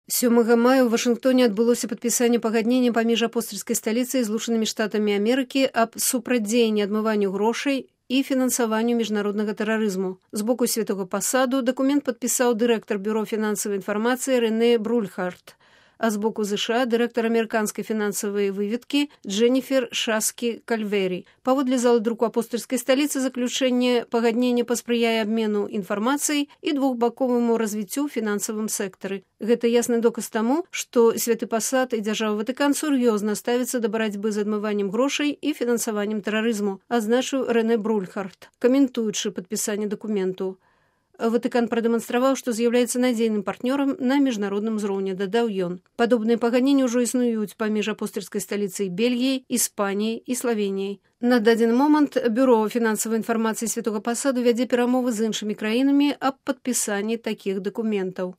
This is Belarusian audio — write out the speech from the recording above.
7 мая ў Вашынгтоне адбылося падпісанне пагаднення паміж апостальскай сталіцай і Злучанымі Штатамі Амерыкі аб супрацьдзеянні адмыванню грошай і фінансаванню міжнароднага тэрарызму. З боку святога пасаду дакумент падпісаў дырэктар бюро фінансавай інфармацыі Рэне Брульхарт, а з боку ЗША дырэктар амерыканскай фінансавай выведкі Дженніфер Шаскі-Кальвері. Паводле залы друку апостальскай сталіцы заключэнне пагаднення паспрыяе абмену інфармацыяй і двухбаковаму развіццю ў фінансавым сектары. Гэта ясны доказ таму, што святы пасад і дзяржава Ватыкан сур'ёзна ставіцца да барацьбы з адмываннем грошай і фінансаваннем тэрарызму, адзначыў Рэне Брульхарт, каментуючы падпісанне дакументу. Ватыкан прадэманстраваў, што з'яўляецца надзейным партнёрам на міжнародным узроўні, дадаў ён. Падобныя пагадненні ўжо існуюць паміж апостальскай сталіцай Бельгіяй, Іспаніяй і Славеніяй. На дадзены момант бюро фінансавай інфармацыі святога пасаду вядзе перамовы з іншымі краінамі аб падпісанні такіх дакументаў.